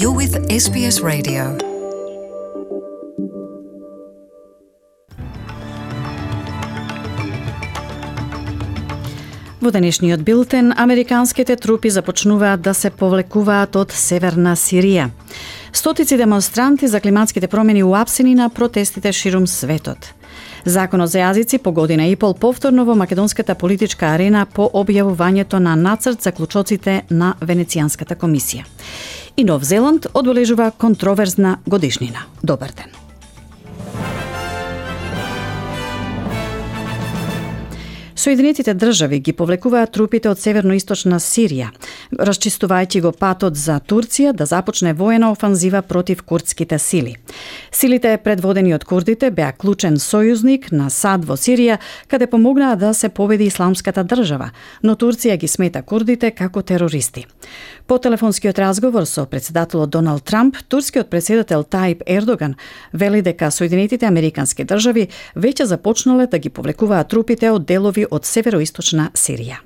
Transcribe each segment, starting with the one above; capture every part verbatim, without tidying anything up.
You're with S B S Radio. Во денешниот билтен, американските трупи започнуваат да се повлекуваат од северна Сирија. Стотици демонстранти за климатските промени уапсени на протестите ширум светот. Законот за јазици по година и пол повторно во македонската политичка арена по објавувањето на нацрт за клучоците на Венецијанската комисија. И Нов Зеланд одбележува контроверзна годишнина. Добар ден. Соединетите држави ги повлекуваат трупите од северно-источна Сирија, расчистувајќи го патот за Турција да започне воена офанзива против курдските сили. Силите предводени од курдите беа клучен сојузник на САД во Сирија, каде помогнаа да се победи исламската држава, но Турција ги смета курдите како терористи. По телефонскиот разговор со председателот Доналд Трамп, турскиот председател Тајип Ердоган вели дека Соединетите американски држави веќе започнале да ги повлекуваат трупите од делови od severoistočna Sirija.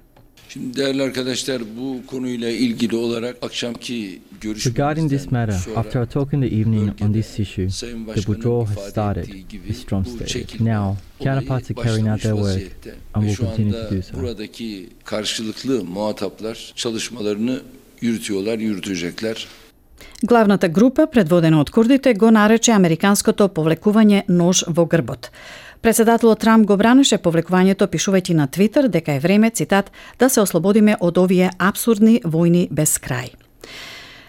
Regarding this matter, after our talk in the evening on this issue, the withdrawal has started, Miz Trump stated. Now, counterparts are carrying out their work and will continue to do so. Buradaki karşılıklı muhataplar çalışmalarını yürütüyorlar, yürütecekler. Главната група, предводена од курдите, го нарече американското повлекување нож во грбот. Председателот Трамп го бранеше повлекувањето, пишувајќи на Твитер дека е време, цитат, да се ослободиме од овие апсурдни војни без крај.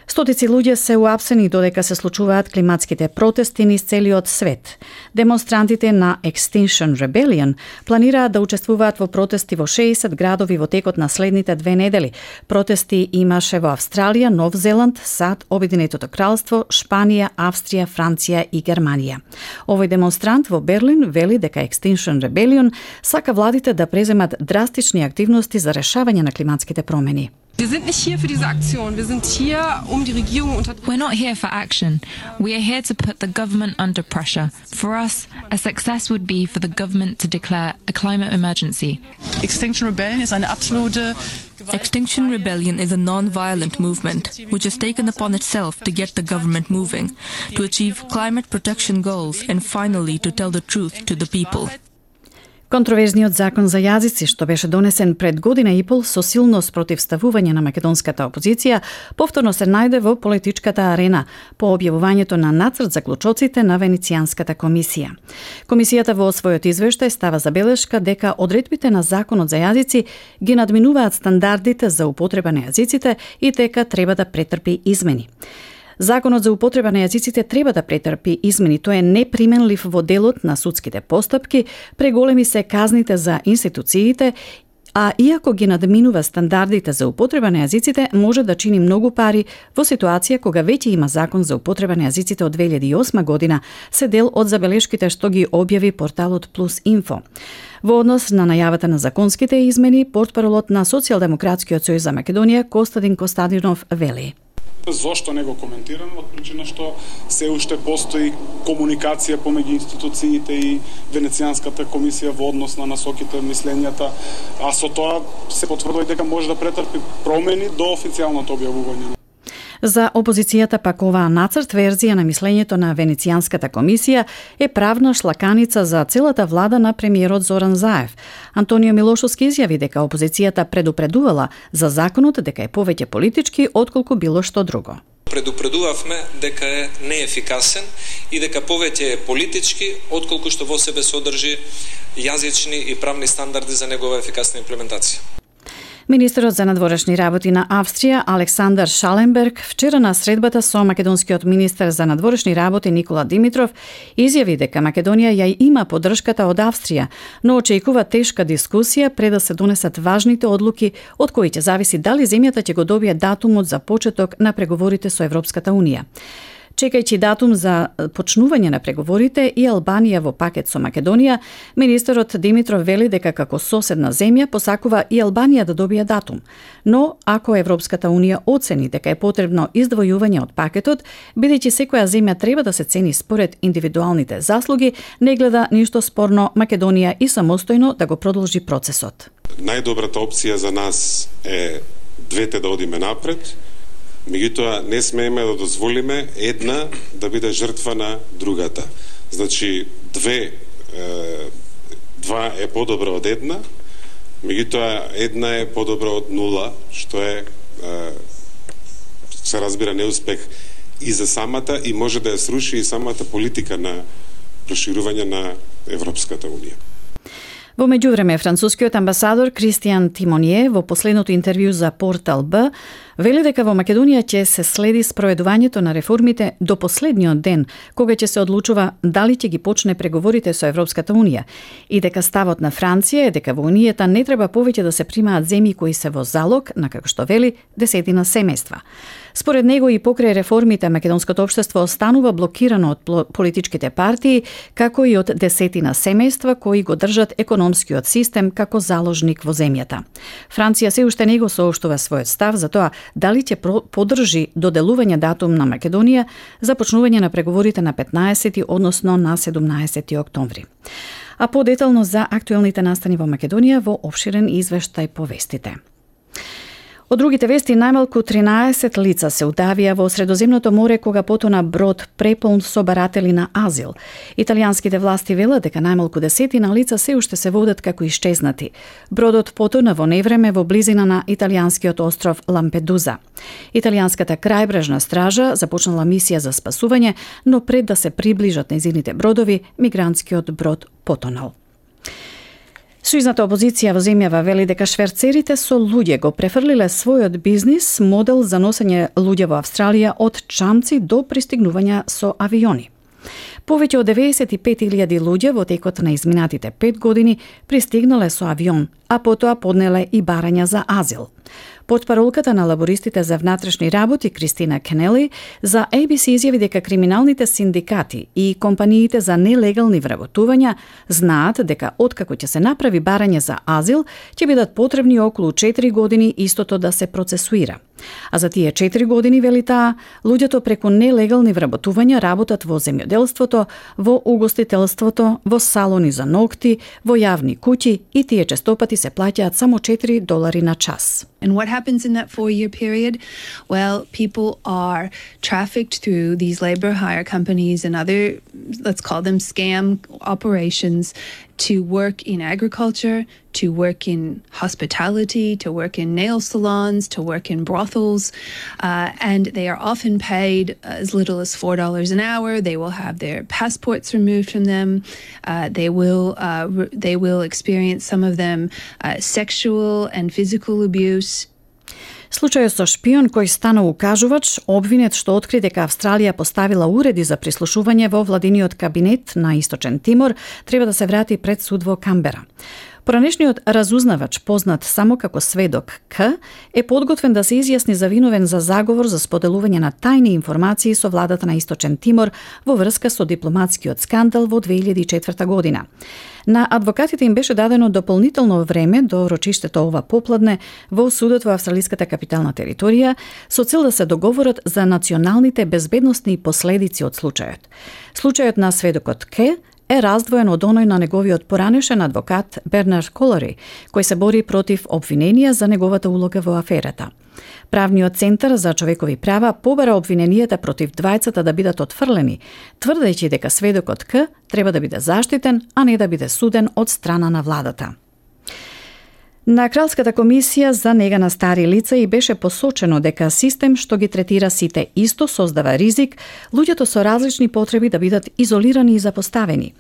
Стотици луѓе се уапсени додека се случуваат климатските протести низ целиот свет. Демонстрантите на Extinction Rebellion планираат да учествуваат во протести во шеесет градови во текот на следните две недели. Протести имаше во Австралија, Нов Зеланд, САД, Обединетото кралство, Шпанија, Австрија, Франција и Германија. Овој демонстрант во Берлин вели дека Extinction Rebellion сака владите да преземат драстични активности за решавање на климатските промени. Wir sind nicht hier für diese Aktion. Wir sind hier, um die Regierung unter... We're not here for action. We are here to put the government under pressure. For us, a success would be for the government to declare a climate emergency. Extinction Rebellion is eine absolute... Extinction Rebellion is a non-violent movement which has taken upon itself to get the government moving, to achieve climate protection goals and finally to tell the truth to the people. Контроверзниот закон за јазици, што беше донесен пред година и пол со силно спротивставување на македонската опозиција, повторно се најде во политичката арена по објавувањето на нацрт за клучоците на Венецијанската комисија. Комисијата во својот извештај става забелешка дека одредбите на законот за јазици ги надминуваат стандардите за употреба на јазиците и дека треба да претрпи измени. Законот за употреба на јазиците треба да претрпи измени. Тој е неприменлив во делот на судските постапки, преголеми се казните за институциите, а иако ги надминува стандардите за употреба на јазиците, може да чини многу пари во ситуација кога веќе има закон за употреба на јазиците од две илјади и осма година, се дел од забелешките што ги објави порталот Плюс Инфо. Во однос на најавата на законските измени, портпаролот на Социјалдемократскиот сојуз за Македонија Костадин Костадинов вели: Зошто не го коментирам? Од причина што се уште постои комуникација помеѓу институциите и Венецијанската комисија во однос на насоките, мислењата, а со тоа се потврдува дека може да претрпи промени до официјалното објавување. За опозицијата пак оваа нацрт верзија на мислењето на Венецијанската комисија е правна шлаканица за целата влада на премиерот Зоран Заев. Антонио Милошовски изјави дека опозицијата предупредувала за законот дека е повеќе политички отколку било што друго. Предупредувавме дека е неефикасен и дека повеќе е политички отколку што во себе содржи јазични и правни стандарди за негова ефикасна имплементација. Министерот за надворешни работи на Австрија Александар Шаленберг вчера на средбата со македонскиот министер за надворешни работи Никола Димитров изјави дека Македонија ја има поддршката од Австрија, но очекува тешка дискусија пред да се донесат важните одлуки од кои ќе зависи дали земјата ќе го добие датумот за почеток на преговорите со Европската унија. Чекајќи датум за почнување на преговорите и Албанија во пакет со Македонија, министерот Димитров вели дека како соседна земја посакува и Албанија да добие датум. Но ако Европската унија оцени дека е потребно издвојување од пакетот, бидејќи секоја земја треба да се цени според индивидуалните заслуги, не гледа ништо спорно Македонија и самостојно да го продолжи процесот. Најдобрата опција за нас е двете да одиме напред, Меѓутоа, не смееме да дозволиме една да биде жртва на другата. Значи, две, два е подобро од една, меѓутоа една е подобро од нула, што е, се разбира, неуспех и за самата, и може да ја сруши и самата политика на проширување на Европската Унија. Во меѓувреме, францускиот амбасадор Кристијан Тимонје во последното интервју за Портал Б вели дека во Македонија ќе се следи спроведувањето на реформите до последниот ден, кога ќе се одлучува дали ќе ги почне преговорите со Европската Унија, и дека ставот на Франција е дека во Унијата не треба повеќе да се примаат земји кои се во залог на, како што вели, десетина семејства. Според него и покрај реформите, македонското општество останува блокирано од политичките партии, како и од десетина семејства кои го држат економскиот систем како заложник во земјата. Франција се уште не го соопштува својот став за тоа дали ќе поддржи доделување датум на Македонија за почнување на преговорите на петнаесети, односно на седумнаесети октомври. А подетално за актуелните настани во Македонија во опширен извештај по вестите. Од другите вести, најмалку тринаесет лица се удавија во Средоземното море кога потона брод преполн со баратели на азил. Италијанските власти велат дека најмалку десетина лица се уште се водат како исчезнати. Бродот потона во невреме во близина на италијанскиот остров Лампедуза. Италијанската крајбрежна стража започнала мисија за спасување, но пред да се приближат нејзините бродови, мигрантскиот брод потонал. Сојузната опозиција во земјава вели дека шверцерите со луѓе го префрлиле својот бизнис модел за носење луѓе во Австралија од чамци до пристигнување со авиони. Повеќе од деветдесет и пет илјади луѓе во текот на изминатите пет години пристигнале со авион, а потоа поднеле и барања за азил. Портпаролката на лабористите за внатрешни работи Кристина Кенели за А Б С изјави дека криминалните синдикати и компаниите за нелегални вработувања знаат дека откако ќе се направи барање за азил, ќе бидат потребни околу четири години истото да се процесуира. А за тие четири години, вели таа, луѓето преку нелегални вработувања работат во земјоделството, во угостителството, во салони за ногти, во јавни куќи и тие честопати се плаќаат само четири долари на час. And what happens in that four-year period? Well, people are trafficked through these labor hire companies and other, let's call them scam operations, to work in agriculture, to work in hospitality, to work in nail salons, to work in brothels, uh, and they are often paid as little as four dollars an hour. They will have their passports removed from them. Uh, they will uh, re- they will experience, some of them, uh, sexual and physical abuse. Случајот со шпион кој стана укажувач, обвинет што откри дека Австралија поставила уреди за прислушување во владиниот кабинет на Источен Тимор, треба да се врати пред суд во Камбера. Поранешниот разузнавач, познат само како сведок К, е подготвен да се изјасни за виновен за заговор за споделување на тајни информации со владата на Источен Тимор во врска со дипломатскиот скандал во две илјади и четврта година. На адвокатите им беше дадено дополнително време до рочиштето ова попладне во судот во австралиската капитална територија со цел да се договорат за националните безбедносни последици од случајот. Случајот на сведокот К е раздвоен од оној на неговиот поранешен адвокат Бернард Колари, кој се бори против обвиненија за неговата улога во аферата. Правниот центар за човекови права побара обвиненијата против двајцата да бидат отфрлени, тврдејќи дека сведокот К треба да биде заштитен, а не да биде суден од страна на владата. На Кралската комисија за нега на стари лица и беше посочено дека систем што ги третира сите исто создава ризик луѓето со различни потреби да бидат изолирани и запоставени.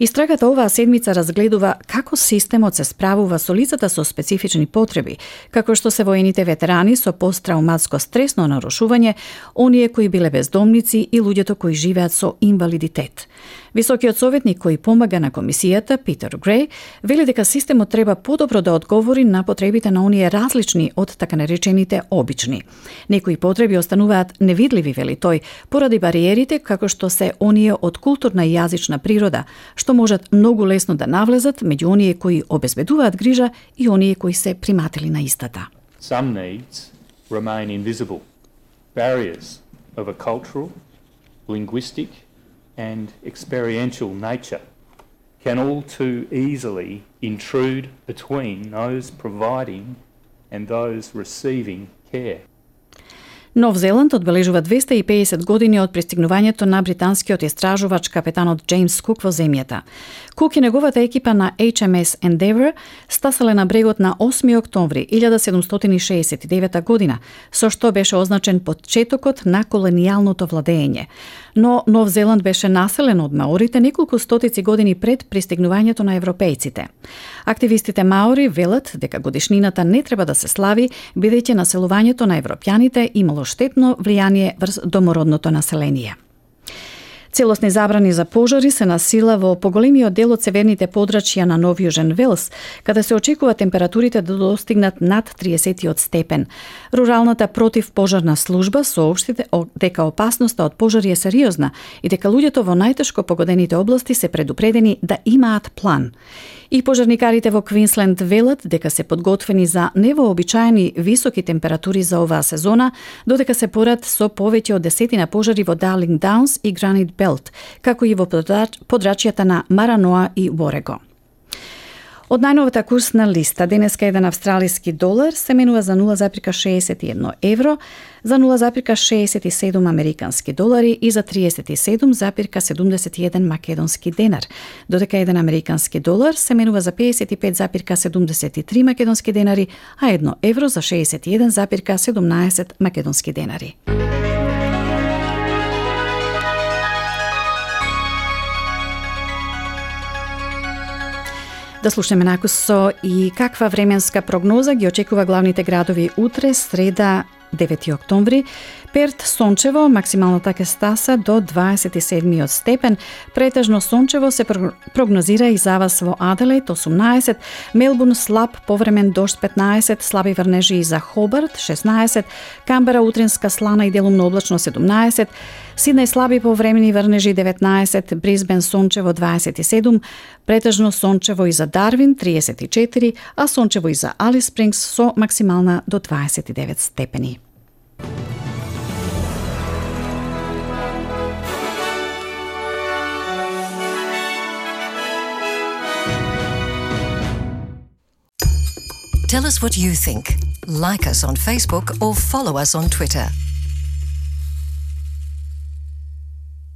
Истрагата оваа седмица разгледува како системот се справува со лицата со специфични потреби, како што се воените ветерани со посттрауматско стресно нарушување, оние кои биле бездомници и луѓето кои живеат со инвалидитет. Високиот советник кој помага на комисијата, Питер Греј, вели дека системот треба подобро да одговори на потребите на оние различни од така наречените обични. Некои потреби остануваат невидливи, вели тој, поради бариерите како што се оние од културна и јазична природа, што можат многу лесно да навлезат меѓу оние кои обезбедуваат грижа и оние кои се приматели на истата. Some needs remain invisible. Barriers of a cultural, linguistic and experiential nature can all too easily intrude between those providing and those receiving care. Нов Зеланд одбележува двесте и педесет години од пристигнувањето на британскиот истражувач капетанот Джеймс Кук во земјата. Кук и неговата екипа на Ейч Ем Ес Endeavour стасале на брегот на осми октомври илјада седумстотини шеесет и девета година, со што беше означен почетокот на колонијалното владење. Но Нов Зеланд беше населен од маорите неколку стотици години пред пристигнувањето на европејците. Активистите маори велат дека годишнината не треба да се слави, бидејќи населувањето на европјаните имало штетно влијание врз домородното население. Целосни забрани за пожари се на сила во поголемиот дел од северните подрачја на Нов Јужен Велс, каде се очекува температурите да достигнат над триесет степен. Руралната противпожарна служба соопшти дека опасноста од пожари е сериозна и дека луѓето во најтешко погодените области се предупредени да имаат план. И пожарникарите во Квинсленд велат дека се подготвени за невообичаени високи температури за оваа сезона, додека се порад со повеќе од десетина пожари во Дарлинг Даунс и Гранит Белт, како и во подрачјата на Мараноа и Ворего. Од најновата курсна листа, денеска еден австралиски долар се менува за нула запирка шеесет и едно евро, за нула запирка шеесет и седум американски долари и за триесет и седум запирка седумдесет и еден македонски денар, додека еден американски долар се менува за педесет и пет запирка седумдесет и три македонски денари, а едно евро за шеесет и еден запирка седумнаесет македонски денари. Да слушнеме накусо и каква временска прогноза ги очекува главните градови утре, среда, девети октомври. Перт сончево, максималната ќе стаса до дваесет и седми степен. Претежно сончево се прогнозира и за вас во Аделаид осумнаесет, Мелбурн слаб повремен дожд петнаесет, слаби врнежи и за Хобарт шеснаесет, Камбера утринска слана и делумно облачно седумнаесет, Сиднеј слаби повремени врнежи деветнаесет, Брисбен сончево дваесет и седум, претежно сончево и за Дарвин триесет и четири, а сончево и за Алис Спрингс со максимална до дваесет и девет степени. Tell us what you think. Like us on Facebook or follow us on Twitter.